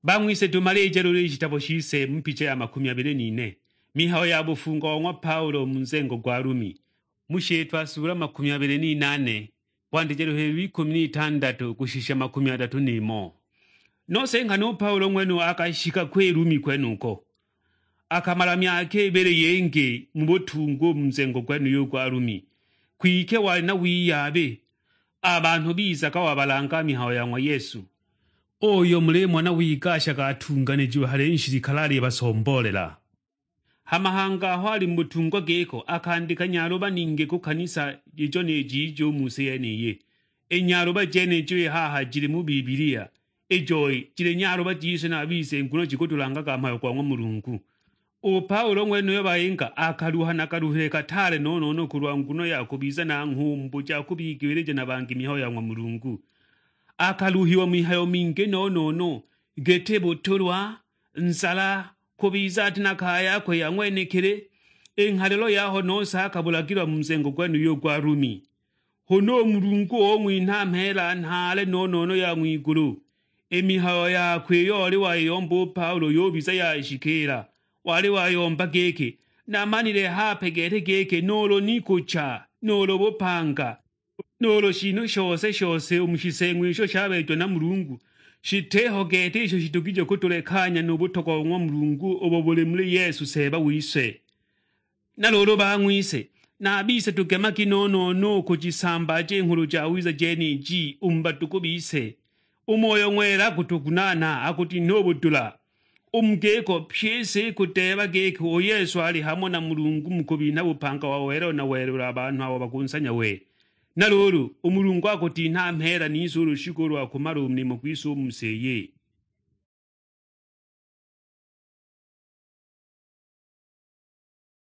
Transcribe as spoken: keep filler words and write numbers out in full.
Bang'wise, tūmalīje lūlū ī shitabo shise mu picha ya makūmi abīlī n'ine, mihayo ya būfungo wa ng'wa Paulo mu nzengo gwa Lumi, mu shītwa sūla makūmi abīlī n'inaane, kwandīja lūhīlī lw'ikūmi n'itandatū kūshisha makūmi adatū n'īmò. Nose nghana ū Paulo ng'wenuyo akashika kwī Lumi kwenūko, akamala myaka ībīlī yīngī mu būtungwa ū mu nzengo gwenūyo ū gwa Lumi. Kwike walī na wiyaabī, a banhū bizaga wabalanga mihayo ya ng'wa Yesu, ūyo mulīmona wigashaga atunganījiwe hale nshilikale alībasomboolela. Ha mahanga aho alī mu būtungwa gīko, akandīka nyalūba ningī kū kanisa ījo nī jijo ū mu sī yenīyī. Ī nyalūba jenījo ī haha jilī mu Bibilia, ījo jilī nyalūba jise na a bise, nguno jikūtūlangaga mhayo gwa ng'wa Mulungu. Ū Paulo ng'wenūyo bayīnga akaluha na kaluhile kataale no-no-no kūlwa nguno ya kūbiza nang'hūmbū ja kūbigīlīja na bangī mihayo ya ng'wa Mulungu. Akaluhiwa mihayo mingī no-no-no, gītī būtūlwa, nzala, kūbiza atī na kaya yakwe ya ng'wenekele. Ī ng'halilo yaho nose akabūlagīlwa mu nzengo gwenūyo gwa Lumi. Hūna ū Mulungu ūng'winha mheela nhaale no-no-no ya ng'wigūlū. Ī mihayo yakwe īyo olī wayīyomba ū Paulo yūbiza yashikīla. Walī wayomba gīkī, "Namanile hape gete gīkī nūūlū ni kūcha, nūūlū būpanga, nūūlū shinhū shose shose ū mu shiseeng'wa īsho shabeejiwa na Mulungu, shitīho gete īsho shitogije kūtūlekanya nū būtogwa bo ng'wa Mulungu ūbo būlī muli Yesu Seeba wise." Na lūūlū bang'wise, na a bise tūgemagi no-no-no ū kūjisambaaja ī Nghulu Jawiza jenīji ū mu badūgū bise. Ū Moyo Ng'wela akūtūgunanha, akūtinha ū būdūla. Ū mu gīko, pyī ī sī īkūdeeba gīkī ū Yesu alī hamo na Mulungu mu kūbinha būpanga wa welelo na welelo a banhū abo bakūnsanya we. Na lūūlū, ū Mulungu akūtinha mheela nise ū lūshikū lwa kūmala ū nīmo gwise ū mu sī īyī.